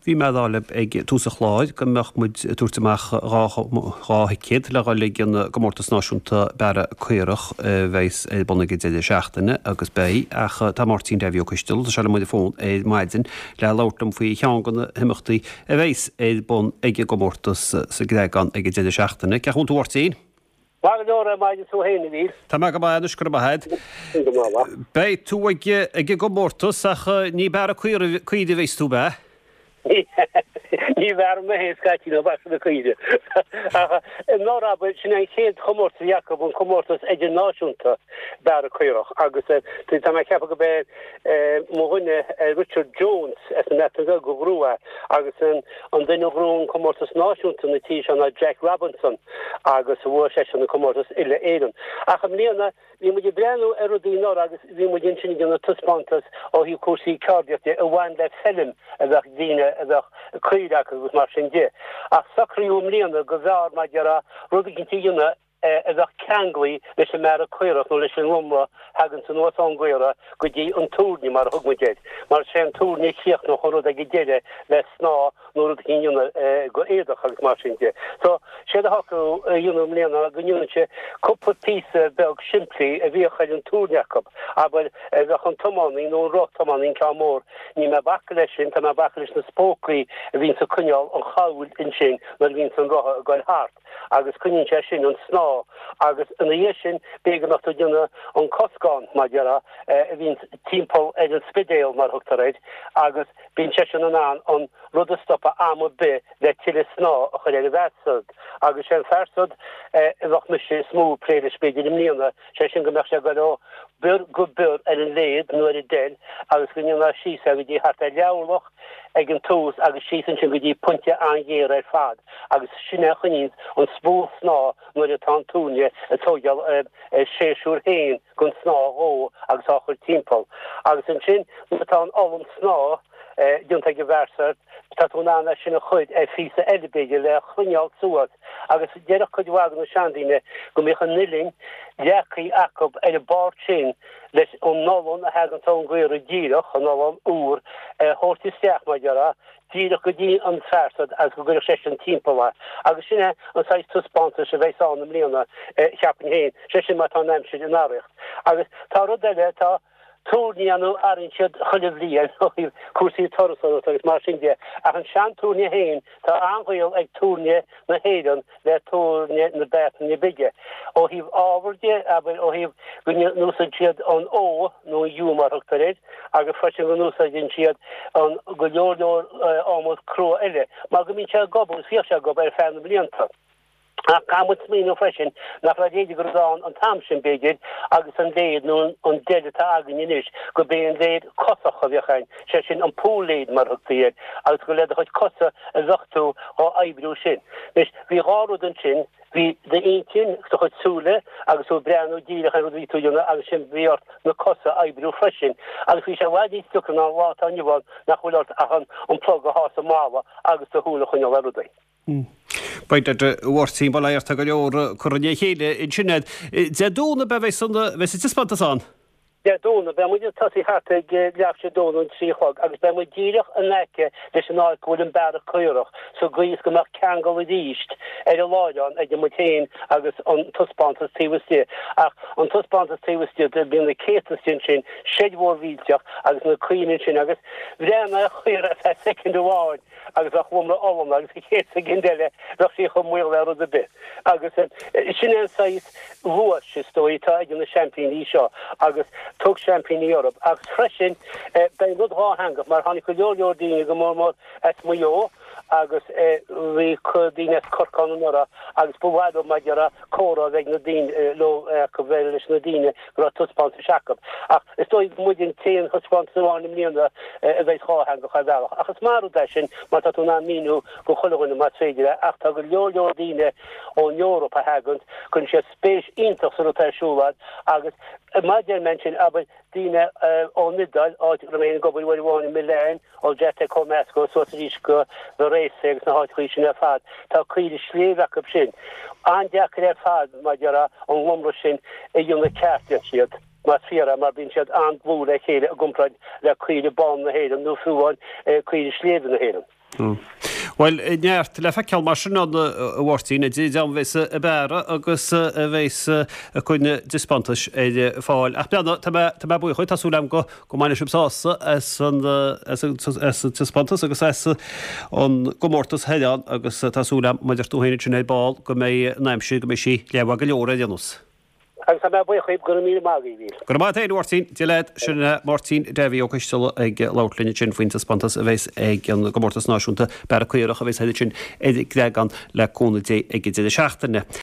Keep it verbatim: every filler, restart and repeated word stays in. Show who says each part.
Speaker 1: Bhí mé ag rá libh ag tús an chláir go mbeadh muid ag tabhairt amach dhá dhá thicéad le dhul ag an gcomórtas náisiúnta bearradh caorach a bheas ar bun ag an deireadh seachtaine agus beidh ach tá Máirtín Davy Ó Coistealbha, tá sé liom ar an bhfón ar maidin le labhairt liom faoi cheann de na himeachtaí a bheas ar bun ag an gcomórtas sa gCreagán ag an deireadh seachtaine. Cén chaoi a bhfuil tú a Mháirtín?
Speaker 2: Maith go leor ar maidin tú féin a Mhíl.
Speaker 1: Tá mé go maith anois, go raibh maith agat.
Speaker 2: Go maith.
Speaker 1: Beidh tú ag ag an gcomórtas ach ní bearradh caoirigh a bheas tú, ab ea?
Speaker 2: Ní bhearrfaidh mé féin scaití ná bearrfaidh na caoirigh. Ach anuraidh abair, sin é an chéad chomórtas a bhí acu, an comórtas idirnáisiúnta bearradh caorach agus tá mé ag ceapadh go b'é mo dhuine Richard Jones as an mBreatain Bheag a ghnóthaigh é agus an duine a ghnóthaigh an comórtas náisiúnta na tíre seo ná Jack Robinson agus bhuaigh seisean an comórtas uile-Éireann. Ach i mbliana bhí muid ag breathnú ar rudaí anuraidh agus bhí muid ansin ag déanamh taispeántas ó thaobh cúrsaí ceardaíochta de a bhain le feilm a bheadh daoine a bheadh caoirigh acu agus mar sin de. Ach socraíodh i mbliana go mb'fhearr mar a déarfá rud eicínt a dhéanamh a bheadh ceanglaithe leis an mbearradh caorach nó leis an nglómra a thaganns anuas ón gcaora go dtí an túirne mar a thug muid air, mar is é an túirne a chríochnódh an rud ag an deireadh le snáth nó rud eicínt a dhéanamh go éadach agus mar sin de. So, séard a shocraíodh a dhéanamh i mbliana ná go ndéanfadh sé cúpla píosa beag simplí a bhíodh ar an túirne acu, abair, a bheadh an tiománaí nó an roth tiománaí, an ceann mór, níl mé ag bacadh leis sin, tá mé ag bacadh leis na spócaí a bhíonns ag coinneáil an chabhail ansin nuair a bhíonns an rotha ag goil thart. agus coinníonn sé sin an snáth agus ina dhiaidh sin b'fhéidir go mbeadh tú ag déanamh an coscán, mar a déarfá, a bhíonns timpeall ar an spidéal mar a thugtar air agus bíonn seisean in ann an rud a stopadh am ar bith le tuilleadh snáth a chur ar an bhfear san agus sé an fear san a bheadh mise is mó ag plé leis b'fhéidir i mbliana, sé sin go mbeadh sé ag goil ó bior go bior ar an léad nó ar an deil agus go ndéanfá síos é go dtí thart ar leathorlach ag an tús agus síos ansin go dtí pointe an-ghéar ar fad agus sin é a choinníonns an spúl snáth nuair atá an túirne ag tóigeáil a séasúr féin den snáth dhó agus á chur timpeall. Agus ansin nuair atá an olann snáth déanta ag an bhfear san tá tú in ann é sin a chur ar phíosa eile b'fhéidir le choinneáil suas agus déarfadh cuid mhaith de na seandaoine go mbíodh an uillinn leagtha acu ar an bpáirt sin leis an olann a thaganns ón gcaora díreach, an olann úr, a thabhairt isteach, mar a déarfá, díreach go dtí an fear san agus go gcuirfeadh seisean timpeall é. Agus sin é an saghas taispeántais a bheas ann i mbliana, cheapfainn féin, sé sin má tá an aimsir in arracht. Agus tá rud eile, tá túirní ann a athraíonn siad chuile bhliain ó thaobh cúrsaí turasóireachta agus mar sin de, ach an sean-túirne féin, tá an-ghaol ag túirne na hÉireann le túirne na Breataine Bige. Ó thaobh ábhar de, abair, ó thaobh go n-úsáideann siad an fheá, nó an yew mar a thugtar air, agus freisin go n-úsáideann siad an go leor leor adhmad crua eile, mar go mbíonn sé ag gobadh, agus bhíodh sé ag gobadh ar feadh na mblianta. Ach caithfidh muid smaoineamh freisin nach raibh a leithéid de rud ann an t-am sin, b'fhéidir, agus an léad nó an deil atá againn anois, gurb é an léad cosach a bheadh ann, sé sin an pole lathe mar a thugtaí air, agus gur le do chuid cosa a bheadh tú dhá oibriú sin. Anois, bhí dhá rud ansin, bhí d'intinn, do chuid súile agus tú ag breathnú díreach ar an rud a bhí tú a dhéanamh agus ansin bhí ort na cosa a oibriú freisin. Agus bhí sé i bhfad níos deacra ná an lá atá inniu ann nach bhfuil ort ach an plug a shá sa mballa agus do shúil a choinneáil ar rudaí.
Speaker 1: Beidh a Mháirtín, bail ó Dhia ort, tá go leor curtha le chéile ansin agat. Dé Domhnaigh ab ea a bheas an taispeántas ann?
Speaker 2: Dé Domhnaigh, beidh muid ag tosaí thart ag leathuair tar éis a dó nó an trí a chlog agus beidh muid díreach in aice leis an áit go bhfuil an bearradh caorach sa gcaoi is go mbeadh ceangal arís ar an láithreán idir muid féin agus an taispeántas taobh istigh. Ach an taispeántas taobh istigh, bíonn na céadta istigh ansin, seid mhór mhillteach agus na caoirigh ansin agus bhreathnaigh ar chaora ar feadh soicind amháin agus bheadh lomra olann agus an chéad soicind eile bheadh sí chomh maol le rud ar bith. Agus sin é an saghas luais, is dóigh, atá ag na seaimpíní seo agus tug seaimpíní orthu. Agus freisin beidh an rud dhátheangach mar tháinig go leor leor daoine, go mór mór as Maigh Eo agus bhí daoine as Corcaigh ann anuraidh agus ba mhaith leo mar a déarfá comhrá a bheith ag na daoine leo acu bheith leis na daoine go raibh taispeántais acu. Ach is dóigh go muid an t-aon thaispeántas amháin i mbliana a bheidh dhátheangach ar bhealach. Ach is maith an rud é sin mar tá tú in ann míniú go chuile dhuine más féidir é. Ach tá go leor leor daoine ón Eoraip a thaganns, cuireann siad spéis iontach sa rud atá ar siúl ann agus mar a deir mé ansin, abair, daoine ón Iodáil, áit a raibh mé féin ag obair uair amháin i Milan, Olgiate Comasco suas arís go Varese agus na háiteachaí sin ar fad, tá caoirigh sléibhe acu sin. An-deacair ar fad, mar a déarfá, an lomra sin a dhéanamh ceart, deir siad, más fíor é, mar bíonn siad an-dlúth le chéile i gcomparáid le caoirigh bána na hÉireann nó fiú amháin caoirigh sléibhe na hÉireann.
Speaker 1: Bhuel, neart le feiceáil mar sin ann, a Mháirtín, a bheas ag bearradh agus a bheas ag coinne taispeántais ar fáil. Ach breathnaigh, tá mé tá mé buíoch dhuit, tá súil agam go go mbainfidh sibh sásamh as an as an as an taispeántas agus as an gcomórtas thoir ann agus tá súil agam, mar a deir tú féin ansin ar ball, go mbeidh an aimsir, go mbeidh sí leathmhaith go leor ar aon nós.
Speaker 2: Agus tá mé buíoch dhaoibh, go raibh míle maith agaibh.
Speaker 1: Go raibh maith agat féin, a Mháirtín. Dia leat. Sin é Máirtín Davy Ó Coisteala ag labhairt linn ansin faoin taispeántas a bheas ag an gcomórtas náisiúnta Bearradh Caorach a bheas thoir ansin ar an gCreagán le cúnamh Dé ag an deireadh seachtaine.